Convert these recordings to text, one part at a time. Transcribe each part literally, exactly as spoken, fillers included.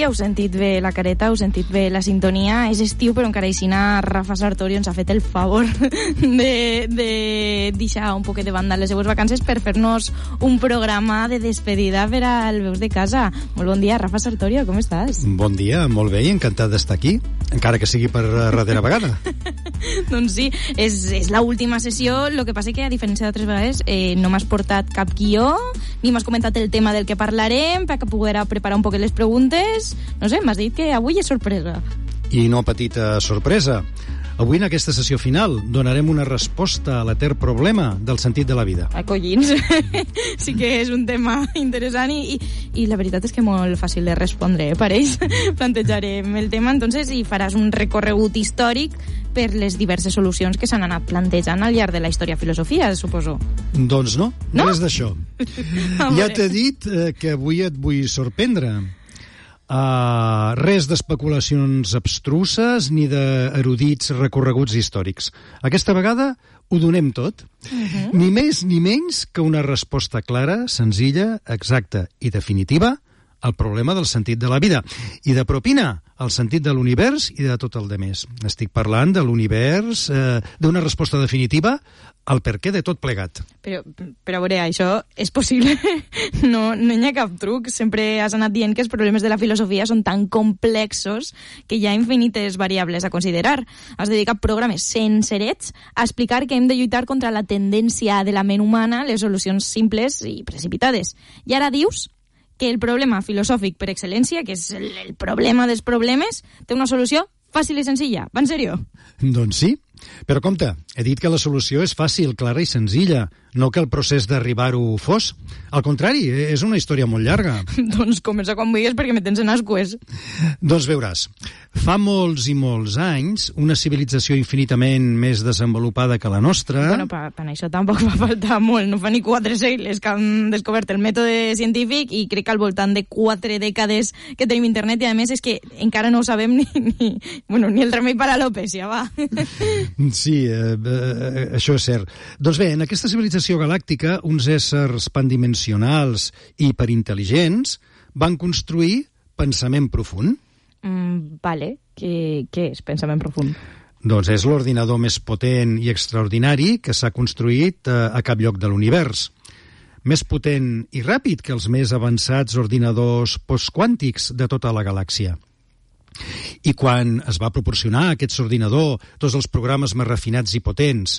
heu sentit bé la careta, heu sentit bé la sintonia. És estiu, però encara aixina Rafa Sartori ens ha fet el favor de, de deixar un poquet de banda les seues vacances per fer-nos un programa de despedida per al Veus de Casa. Molt bon dia, Rafa Sartori, com estàs? Bon dia, molt bé, encantat d'estar aquí, encara que sigui per darrera vegada. Doncs sí, és, és l'última sessió, el que passa que, a diferència d'altres vegades, eh, no m'has portat cap guió, ni m'has comentat el tema del que parlarem, perquè poder preparar un poquet les preguntes. No sé, m'has dit que avui és sorpresa. I no petita sorpresa. Avui, en aquesta sessió final, donarem una resposta a l'etern problema del sentit de la vida. Ai, collins. Sí que és un tema interessant i, i, i la veritat és que molt fàcil de respondre, eh, pareix. Plantejarem el tema, entonces, i faràs un recorregut històric per les diverses solucions que s'han anat plantejant al llarg de la història filosofia, suposo. Doncs no, no? res d'això. Ja t'he dit eh, que avui et vull sorprendre. Uh, res d'especulacions abstruses ni d'erudits recorreguts històrics. Aquesta vegada ho donem tot. Uh-huh. Ni més ni menys que una resposta clara, senzilla, exacta i definitiva al problema del sentit de la vida. I de propina, el sentit de l'univers i de tot el demés. Estic parlant de l'univers, eh, d'una resposta definitiva al perquè de tot plegat. Però, però a veure, això és possible? No, no hi ha cap truc. Sempre has anat dient que els problemes de la filosofia són tan complexos que hi ha infinites variables a considerar. Has dedicat programes sencerets a explicar que hem de lluitar contra la tendència de la ment humana a les solucions simples i precipitades. I ara dius que el problema filosòfic per excel·lència, que és el, el problema dels problemes, té una solució fàcil i senzilla. Va en sèrio? Doncs sí, però compte, he dit que la solució és fàcil, clara i senzilla, no que el procés d'arribar-ho fos. Al contrari, és una història molt llarga. Doncs comença quan vulguis perquè me tens en ascues. Doncs veuràs, fa molts i molts anys, una civilització infinitament més desenvolupada que la nostra... Bueno, per, per això tampoc va faltar molt, no fa ni quatre segles que han descobert el mètode científic i crec que al voltant de quatre dècades que tenim internet i a més és que encara no ho sabem ni, ni, bueno, ni el remei per a l'alopècia, va. Sí, eh, eh, això és cert. Doncs bé, en aquesta civilització galàctica, uns éssers pandimensionals i hiperintel·ligents van construir pensament profund. Mm, vale, què, què és pensament profund? Doncs és l'ordinador més potent i extraordinari que s'ha construït eh, a cap lloc de l'univers. Més potent i ràpid que els més avançats ordinadors postquàntics de tota la galàxia. I quan es va proporcionar a aquest ordinador tots els programes més refinats i potents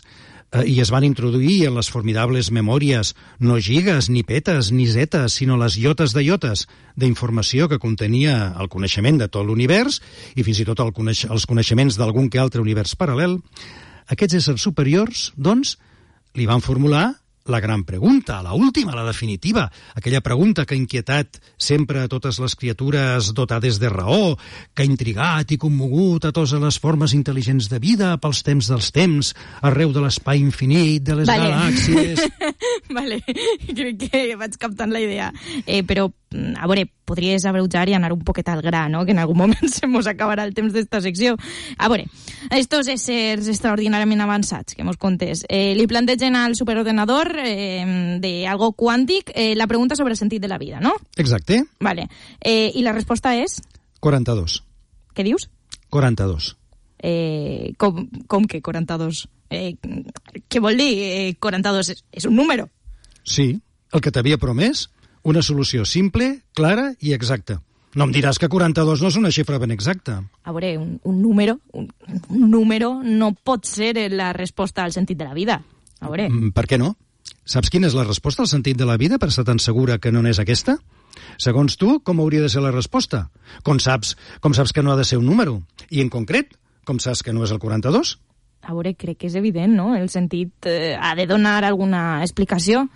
eh, i es van introduir en les formidables memòries no gigas, ni petes, ni zetes, sinó les iotes de iotes d'informació que contenia el coneixement de tot l'univers i fins i tot el coneix- els coneixements d'algun que altre univers paral·lel, aquests éssers superiors, doncs, li van formular la gran pregunta, la última, la definitiva, aquella pregunta que ha inquietat sempre a totes les criatures dotades de raó, que ha intrigat i commogut a totes les formes intel·ligents de vida pels temps dels temps, arreu de l'espai infinit, de les vale. galàxies... Vale, crec que vaig captant la idea. Eh, però, a veure, podries abreujar i anar un poquet al gra, no? Que en algun moment se mos acabarà el temps d'esta secció. A veure, estos éssers extraordinàriament avançats que mos contes, eh, li plantegen al superordenador eh, de algo quàntic eh, la pregunta sobre el sentit de la vida, no? Exacte. Vale. Eh, I la resposta és? quaranta-dos. Què dius? quaranta-dos. Eh, com, com que quaranta-dos? Eh, què vol dir? Eh, quaranta-dos és, és un número. Sí, el que t'havia promès, una solució simple, clara i exacta. No em diràs que quaranta-dos no és una xifra ben exacta. A veure, un, un número un, un número no pot ser la resposta al sentit de la vida. A veure... Per què no? Saps quina és la resposta al sentit de la vida per estar tan segura que no n'és aquesta? Segons tu, com hauria de ser la resposta? Com saps, com saps que no ha de ser un número? I en concret, com saps que no és el quaranta-dos? A veure, crec que és evident, no? El sentit eh, ha de donar alguna explicació.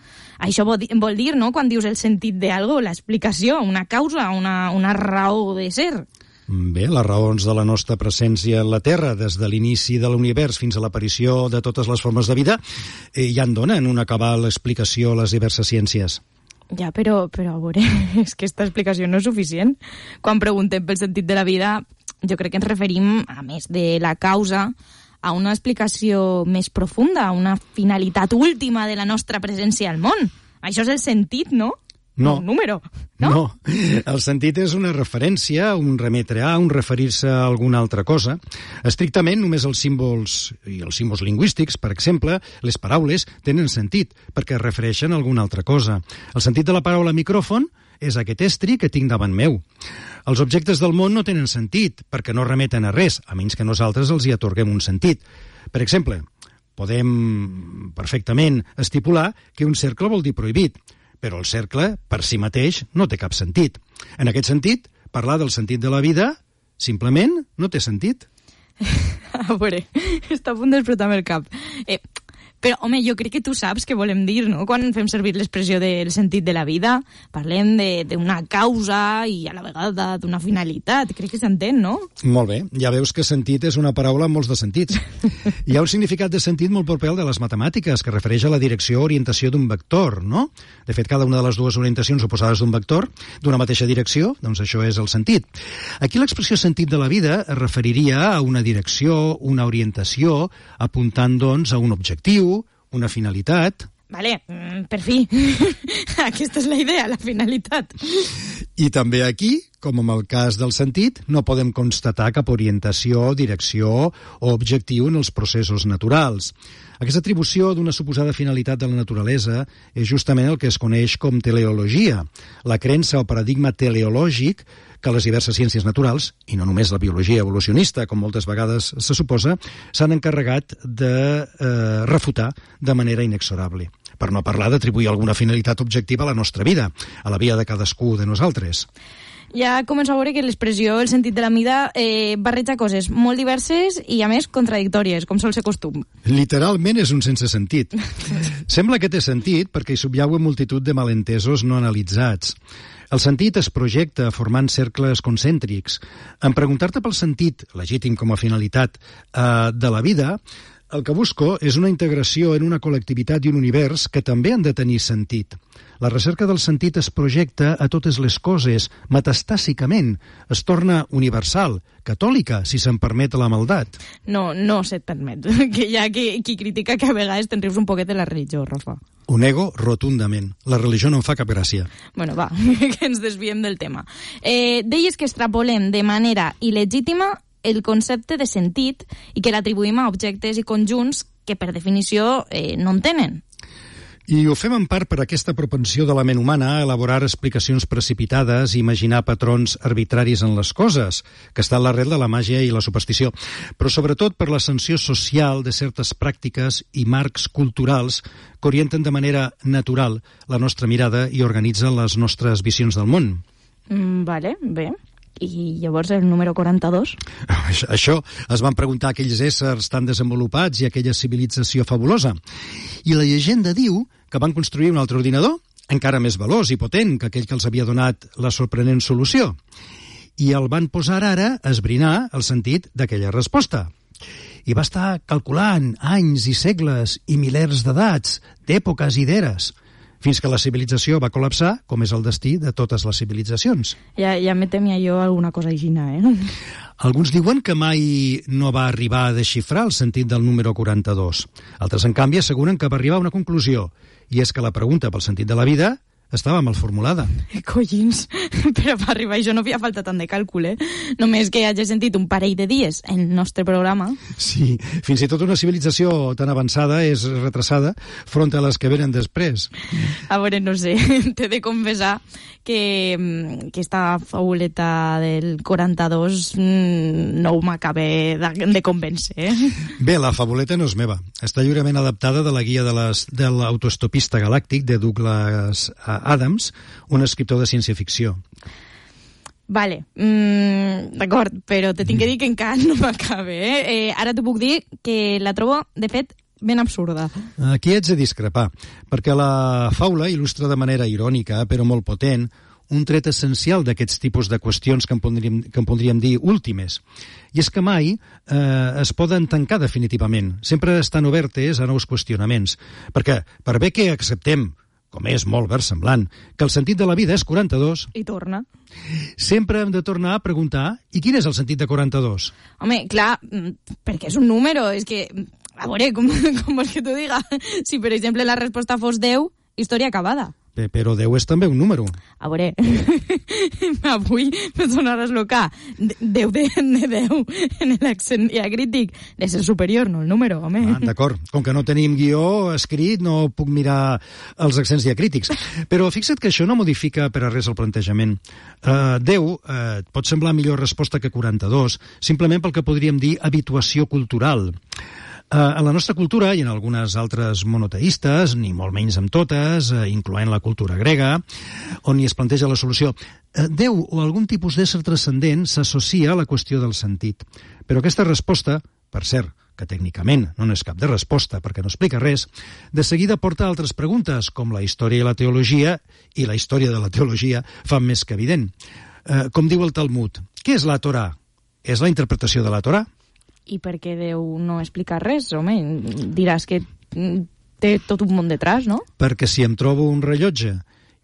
Això vol dir, vol dir, no?, quan dius el sentit d'algo, l'explicació, una causa, una, una raó de ser. Bé, les raons de la nostra presència en la Terra, des de l'inici de l'univers fins a l'aparició de totes les formes de vida, eh, ja en donen una cabal explicació a les diverses ciències. Ja, però, però a veure, és que aquesta explicació no és suficient. Quan preguntem pel sentit de la vida, jo crec que ens referim, a més de la causa, a una explicació més profunda, a una finalitat última de la nostra presència al món. Això és el sentit, no? No. Un número, no? No. El sentit és una referència, un remetre a, un referir-se a alguna altra cosa. Estrictament, només els símbols i els símbols lingüístics, per exemple, les paraules, tenen sentit, perquè es refereixen a alguna altra cosa. El sentit de la paraula micròfon és aquest estri que tinc davant meu. Els objectes del món no tenen sentit, perquè no remeten a res, a menys que nosaltres els hi atorguem un sentit. Per exemple, podem perfectament estipular que un cercle vol dir prohibit, però el cercle, per si mateix, no té cap sentit. En aquest sentit, parlar del sentit de la vida, simplement, no té sentit. A veure, està a punt d'explotar-me el cap. Eh, però, home, jo crec que tu saps què volem dir, no? Quan fem servir l'expressió del sentit de la vida, parlem d'una causa i a la vegada d'una finalitat. Crec que s'entén, no? Molt bé. Ja veus que sentit és una paraula amb molts de sentits. Hi ha un significat de sentit molt proper al de les matemàtiques, que refereix a la direcció o orientació d'un vector, no? De fet, cada una de les dues orientacions oposades d'un vector, d'una mateixa direcció, doncs això és el sentit. Aquí l'expressió sentit de la vida es referiria a una direcció, una orientació, apuntant, doncs, a un objectiu, una finalitat. Vale, per fi. Aquesta és la idea, la finalitat. I també aquí, com en el cas del sentit, no podem constatar cap orientació, direcció o objectiu en els processos naturals. Aquesta atribució d'una suposada finalitat de la naturalesa és justament el que es coneix com teleologia, la creença o paradigma teleològic que les diverses ciències naturals, i no només la biologia evolucionista, com moltes vegades se suposa, s'han encarregat de eh, refutar de manera inexorable. Per no parlar d'atribuir alguna finalitat objectiva a la nostra vida, a la vida de cadascú de nosaltres. Ja començo a veure que l'expressió, el sentit de la vida, eh, barreja coses molt diverses i, a més, contradictòries, com sol ser costum. Literalment és un sense sentit. Sembla que té sentit perquè hi subjauen multitud de malentesos no analitzats. El sentit es projecta formant cercles concèntrics. En preguntar-te pel sentit, legítim com a finalitat, eh, de la vida, el que busco és una integració en una col·lectivitat i un univers que també han de tenir sentit. La recerca del sentit es projecta a totes les coses, metastàsicament. Es torna universal, catòlica, si se'n permet la maldat. No, no se't permet. Que hi ha qui, qui critica que a vegades te'n rius un poquet de la religió, Rafa. Ho nego rotundament. La religió no em fa cap gràcia. Bueno, va, que ens desviem del tema. Eh, deies que extrapolem de manera il·legítima el concepte de sentit i que l'atribuïm a objectes i conjunts que, per definició, eh, no en tenen. I ho fem en part per aquesta propensió de la ment humana a elaborar explicacions precipitades i imaginar patrons arbitraris en les coses, que està a l'arrel de la màgia i la superstició, però sobretot per l'ascensió social de certes pràctiques i marcs culturals que orienten de manera natural la nostra mirada i organitzen les nostres visions del món. Mm, vale, bé. I llavors el número quaranta-dos? Això es van preguntar aquells éssers tan desenvolupats i aquella civilització fabulosa. I la llegenda diu que van construir un altre ordinador, encara més veloç i potent que aquell que els havia donat la sorprenent solució. I el van posar ara a esbrinar el sentit d'aquella resposta. I va estar calculant anys i segles i milers d'edats, d'èpoques i d'eres, fins que la civilització va col·lapsar, com és el destí de totes les civilitzacions. Ja, ja me temia jo alguna cosa aixina, eh? Alguns diuen que mai no va arribar a desxifrar el sentit del número quaranta-dos. Altres, en canvi, asseguren que va arribar a una conclusió, i és que la pregunta pel sentit de la vida estava mal formulada. Collins, però per arribar a això no havia falta tant de càlcul, eh? Només que hagi sentit un parell de dies en el nostre programa. Sí, fins i tot una civilització tan avançada és retrasada front a les que venen després. A veure, no sé, t'he de confessar que, que esta fauleta del quaranta-dos no m'acaba de, de convèncer, eh? Bé, la fabuleta no és meva. Està lliurement adaptada de la guia de, les, de l'autoestopista galàctic de Douglas Adams, un escriptor de ciència-ficció. Vale, mm, d'acord, però te tinc que dir que encara no m'acabe, eh? eh? Ara t'ho puc dir que la trobo, de fet, ben absurda. Aquí ets de discrepar, perquè la faula il·lustra de manera irònica, però molt potent, un tret essencial d'aquests tipus de qüestions que en podríem, que en podríem dir últimes. I és que mai eh, es poden tancar definitivament. Sempre estan obertes a nous qüestionaments. Perquè, per bé que acceptem, com és molt versemblant, que el sentit de la vida és quaranta-dos... I torna. Sempre hem de tornar a preguntar, i quin és el sentit de quaranta-dos? Home, clar, perquè és un número, és que... A veure, com, com vols que t'ho diga? Si, per exemple, la resposta fos deu, història acabada. però deu és també un número. A veure, avui me sonaràs loca. deu de deu en l'accent diacrític de ser superior, no el número, home. Ah, d'acord. Com que no tenim guió escrit, no puc mirar els accents diacrítics. Però fixa't que això no modifica per a res el plantejament. Uh, deu uh, pot semblar millor resposta que quaranta-dos, simplement pel que podríem dir habituació cultural. Uh, en la nostra cultura i en algunes altres monoteistes, ni molt menys amb totes, uh, incloent la cultura grega, on hi es planteja la solució, uh, Déu o algun tipus d'ésser transcendent s'associa a la qüestió del sentit. Però aquesta resposta, per cert, que tècnicament no és cap de resposta perquè no explica res, de seguida porta altres preguntes, com la història i la teologia, i la història de la teologia fan més que evident. Uh, com diu el Talmud, què és la Torà? És la interpretació de la Torà? I per què Déu no explica res, home? Diràs que té tot un món detrás, no? Perquè si em trobo un rellotge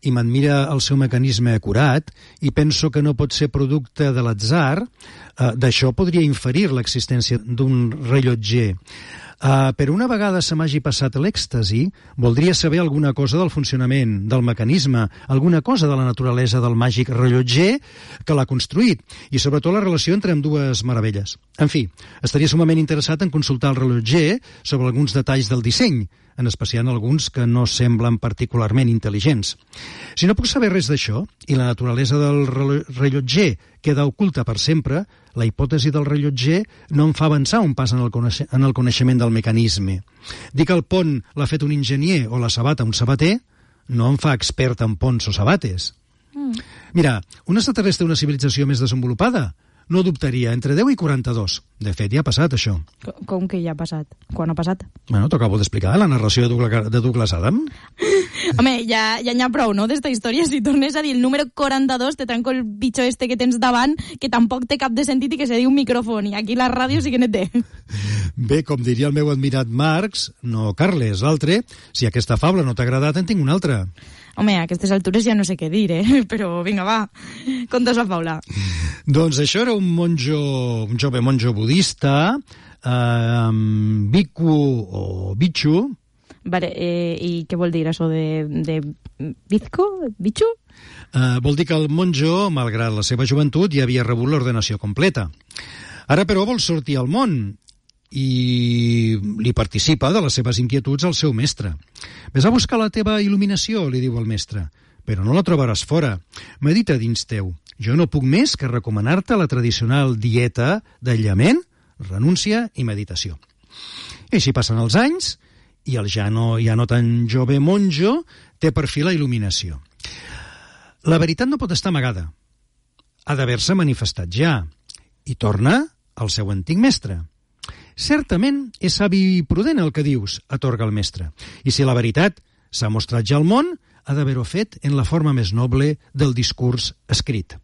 i m'admira el seu mecanisme acurat i penso que no pot ser producte de l'atzar, eh, d'això podria inferir l'existència d'un rellotger. Uh, però una vegada se m'hagi passat l'èxtasi, voldria saber alguna cosa del funcionament, del mecanisme, alguna cosa de la naturalesa del màgic rellotger que l'ha construït, i sobretot la relació entre ambdues meravelles. En fi, estaria sumament interessat en consultar el rellotger sobre alguns detalls del disseny, en especial alguns que no semblen particularment intel·ligents. Si no puc saber res d'això, i la naturalesa del rellotger queda oculta per sempre, la hipòtesi del rellotger no em fa avançar un pas en el, coneix en el coneixement del mecanisme. Dir que el pont l'ha fet un enginyer o la sabata un sabater no em fa expert en ponts o sabates. Mm. Mira, un extraterrestre d'una civilització més desenvolupada no dubtaria entre deu i quaranta-dos. De fet, ja ha passat, això. Com que ja ha passat? Quan ha passat? Bueno, t'ho acabo d'explicar, la narració de Douglas, de Douglas Adams. Home, ja ja n'hi ha prou, no?, d'esta història. Si tornes a dir el número quaranta-dos, te trenco el bitxo este que tens davant, que tampoc té cap de sentit i que se diu micròfon, i aquí la ràdio sí que ne té. Bé, com diria el meu admirat Marx, no Carles, l'altre, si aquesta fabla no t'ha agradat, en tinc una altra. Home, a aquestes altures ja no sé què dir, eh? Però vinga, va, conta's la faula. Doncs això era un monjo, un jove monjo budista, eh, Bhikkhu o Bichu. Vale, eh, i què vol dir això de, de Bizco? Bichu? Eh, vol dir que el monjo, malgrat la seva joventut, ja havia rebut l'ordenació completa. Ara, però, vol sortir al món i li participa de les seves inquietuds al seu mestre. Ves a buscar la teva il·luminació, li diu el mestre, però no la trobaràs fora. Medita dins teu. Jo no puc més que recomanar-te la tradicional dieta d'aïllament, renúncia i meditació. I així passen els anys i el ja no, ja no tan jove monjo té per fi la il·luminació. La veritat no pot estar amagada. Ha d'haver-se manifestat ja i torna al seu antic mestre. Certament és savi i prudent el que dius, atorga el mestre. I si la veritat s'ha mostrat ja al món, ha d'haver-ho fet en la forma més noble del discurs escrit.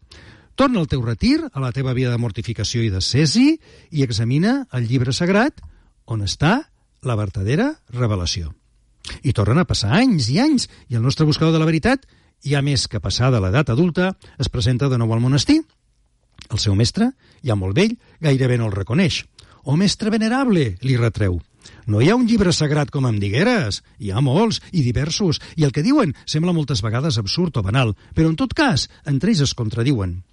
Torna al teu retir, a la teva vida de mortificació i d'ascesi, i examina el llibre sagrat on està la verdadera revelació. I tornen a passar anys i anys, i el nostre buscador de la veritat, ja més que passada l'edat adulta, es presenta de nou al monestir. El seu mestre, ja molt vell, gairebé no el reconeix. «Oh, mestre venerable», li retreu, «no hi ha un llibre sagrat com em digueres. Hi ha molts i diversos, i el que diuen sembla moltes vegades absurd o banal, però en tot cas, entre ells es contradiuen».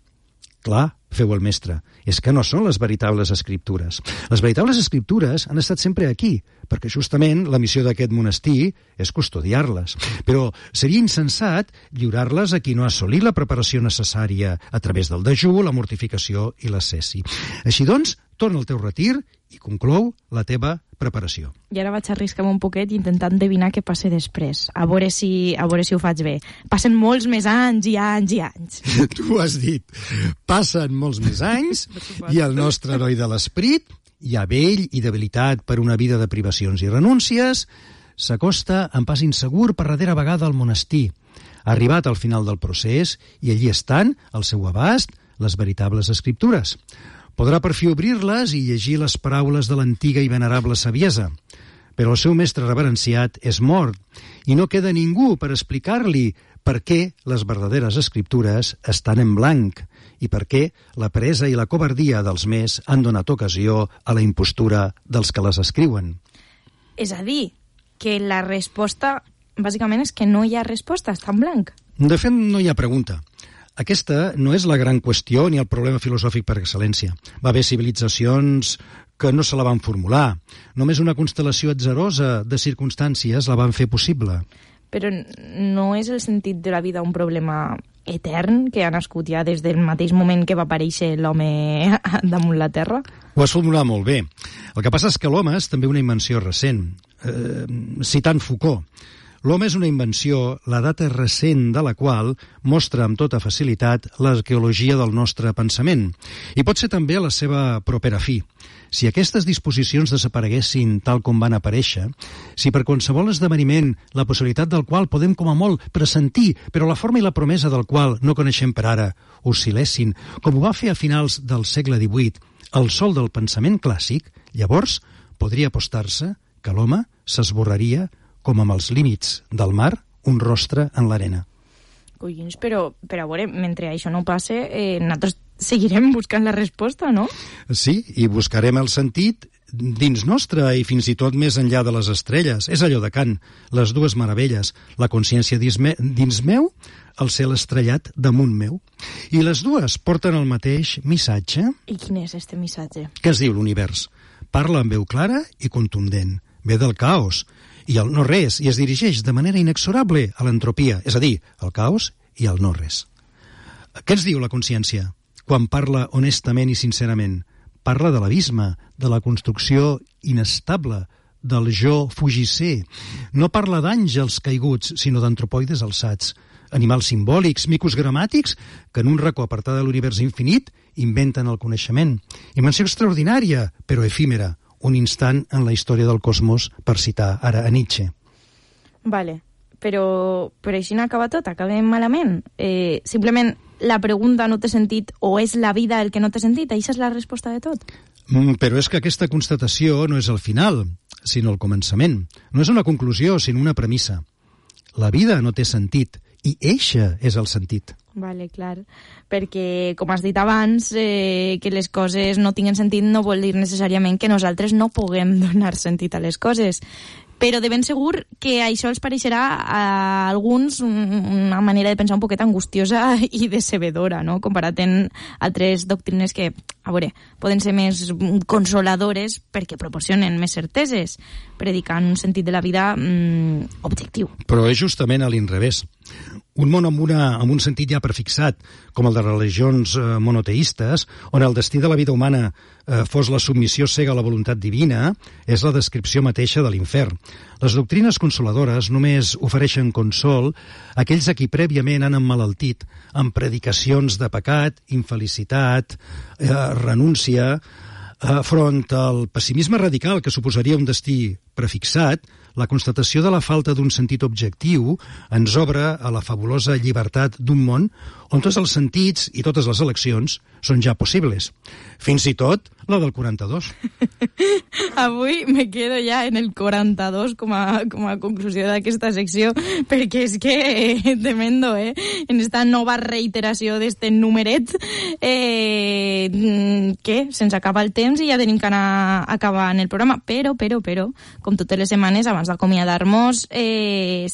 Clar, feu el mestre, és que no són les veritables escriptures. Les veritables escriptures han estat sempre aquí, perquè justament la missió d'aquest monestir és custodiar-les. Però seria insensat lliurar-les a qui no ha assolit la preparació necessària a través del dejú, la mortificació i l'ascesi. Així doncs, torna al teu retir i conclou la teva preparació. I ara vaig arriscar-me un poquet intentant endevinar què passa després. A veure si, a veure si ho faig bé. Passen molts més anys i anys i anys. Tu ho has dit. Passen molts més anys i el nostre heroi de l'esperit, ja vell i debilitat per una vida de privacions i renúncies, s'acosta en pas insegur per darrera vegada al monestir. Ha arribat al final del procés i allí estan, al seu abast, les veritables escriptures. Podrà per fi obrir-les i llegir les paraules de l'antiga i venerable saviesa. Però el seu mestre reverenciat és mort i no queda ningú per explicar-li per què les verdaderes escriptures estan en blanc i per què la peresa i la covardia dels més han donat ocasió a la impostura dels que les escriuen. És a dir, que la resposta bàsicament és que no hi ha resposta, està en blanc. De fet, no hi ha pregunta. Aquesta no és la gran qüestió ni el problema filosòfic per excel·lència. Va haver civilitzacions que no se la van formular. Només una constel·lació atzarosa de circumstàncies la van fer possible. Però no és el sentit de la vida un problema etern que ha nascut ja des del mateix moment que va aparèixer l'home damunt la Terra? Ho has formulat molt bé. El que passa és que l'home és també una invenció recent. Eh, citant Foucault, l'home és una invenció, la data recent de la qual mostra amb tota facilitat l'arqueologia del nostre pensament. I pot ser també la seva propera fi. Si aquestes disposicions desapareguessin tal com van aparèixer, si per qualsevol esdeveniment la possibilitat del qual podem com a molt pressentir, però la forma i la promesa del qual no coneixem per ara, oscil·lessin, com ho va fer a finals del segle divuit, el sol del pensament clàssic, llavors podria apostar-se que l'home s'esborraria com amb els límits del mar un rostre en l'arena. Collins, però, però a veure, mentre això no passe, eh, nosaltres seguirem buscant la resposta, no? Sí, i buscarem el sentit dins nostre i fins i tot més enllà de les estrelles. És allò de Kant, les dues meravelles, la consciència dins, me, dins meu, el cel estrellat damunt meu. I les dues porten el mateix missatge. I quin és este missatge? Què es diu l'univers? Parla amb veu clara i contundent. Ve del caos i el no res, i es dirigeix de manera inexorable a l'entropia, és a dir, al caos i al no res. Què ens diu la consciència quan parla honestament i sincerament? Parla de l'abisme, de la construcció inestable, del jo fugisser. No parla d'àngels caiguts, sinó d'antropoides alçats, animals simbòlics, micos gramàtics, que en un racó apartat de l'univers infinit inventen el coneixement. Invenció extraordinària, però efímera, un instant en la història del cosmos, per citar ara a Nietzsche. Vale, però, però així no acaba tot, acabem malament. Eh, simplement la pregunta no té sentit o és la vida el que no té sentit? Això és la resposta de tot? Mm, però és que aquesta constatació no és el final, sinó el començament. No és una conclusió, sinó una premissa. La vida no té sentit, i eixa és el sentit. Vale, clar, perquè, com has dit abans, eh, que les coses no tinguen sentit no vol dir necessàriament que nosaltres no puguem donar sentit a les coses. Però de ben segur que això els pareixerà a alguns una manera de pensar un poquet angustiosa i decebedora, no? Comparat amb altres doctrines que, a veure, poden ser més consoladores perquè proporcionen més certeses, predicant un sentit de la vida mmm, objectiu. Però és justament a l'inrevés. Un món amb, una, amb un sentit ja prefixat, com el de religions eh, monoteistes, on el destí de la vida humana eh, fos la submissió cega a la voluntat divina, és la descripció mateixa de l'infern. Les doctrines consoladores només ofereixen consol a aquells a qui prèviament han emmalaltit amb predicacions de pecat, infelicitat, eh, renúncia, eh, front al pessimisme radical que suposaria un destí prefixat. La constatació de la falta d'un sentit objectiu ens obre a la fabulosa llibertat d'un món on tots els sentits i totes les eleccions són ja possibles. Fins i tot la del quaranta-dos. Avui me quedo ja en el quaranta-dos com a, com a conclusió d'aquesta secció, perquè és que eh, tremendo, eh? En esta nova reiteració d'este numeret, eh, que se'ns acaba el temps i ja tenim que anar acabant el programa. Però, però, però, com totes les setmanes, abans d'acomiadar-nos, eh,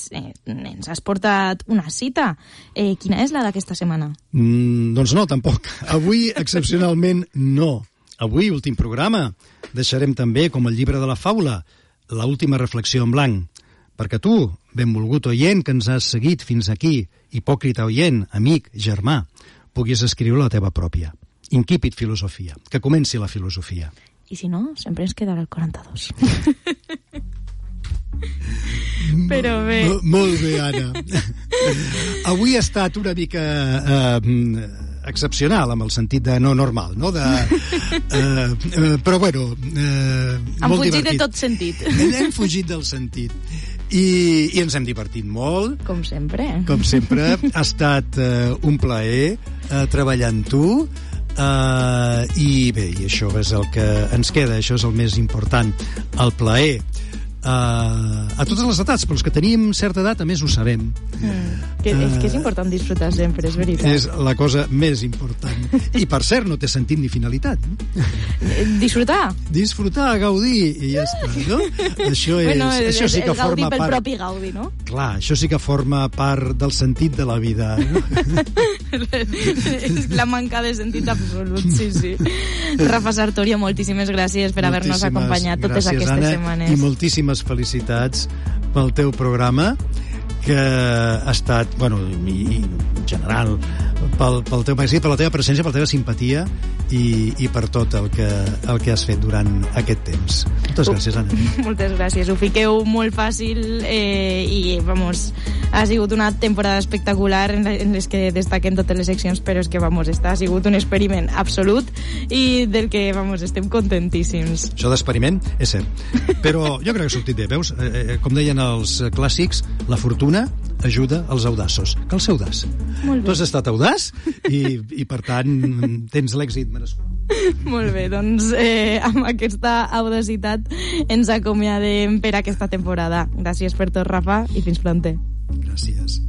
ens has portat una cita. Eh, quina és la d'aquesta setmana? Mm, doncs no, tampoc. Avui, excepcionalment, no. Avui, últim programa, deixarem també, com el llibre de la faula, l'última reflexió en blanc. Perquè tu, benvolgut oient que ens has seguit fins aquí, hipòcrita oient, amic, germà, puguis escriure la teva pròpia. Incipit filosofia. Que comenci la filosofia. I si no, sempre ens quedarà el quaranta-dos. Però bé. M molt bé, Anna. Avui ha estat una mica eh, excepcional, amb el sentit de no normal, no? De, eh, eh, però, bueno, eh, Hem molt fugit divertit. de tot sentit. Hem fugit del sentit. I, i ens hem divertit molt. Com sempre. Com sempre. Ha estat eh, un plaer eh, treballar amb tu. Uh, i bé, i això és el que ens queda, això és el més important, el plaer. a, a totes les edats, però els que tenim certa edat a més ho sabem. Mm. Que, uh, és que és important disfrutar sempre, és veritat. És la cosa més important. I per cert, no té sentit ni finalitat. Disfrutar? Disfrutar, gaudir, i ja està, no? Això, és, bueno, és, això sí que és gaudir forma pel part... propi gaudi, no? Clar, això sí que forma part del sentit de la vida. No? És la manca de sentit absolut, sí, sí. Rafa Sartorio, moltíssimes gràcies per haver-nos acompanyat totes gràcies, aquestes Anna, setmanes. I moltíssimes felicitats pel teu programa, que ha estat, bueno, i, i en general, pel, pel teu magazín, per la teva presència, per la teva simpatia i, i per tot el que, el que has fet durant aquest temps. Moltes gràcies, Anna. Moltes gràcies. Ho fiqueu molt fàcil eh, i, vamos, ha sigut una temporada espectacular en, la, en les que destaquen totes les seccions, però és que, vamos, està, ha sigut un experiment absolut i del que, vamos, estem contentíssims. Això d'experiment és cert. Però jo crec que ha sortit bé, veus? Eh, com deien els clàssics, la fortuna ajuda als audaços. Cal ser audaç. Tu has estat audaç i, i per tant, tens l'èxit merescut. Molt bé, doncs eh, amb aquesta audacitat ens acomiadem per aquesta temporada. Gràcies per tot, Rafa, i fins pronte. Gràcies.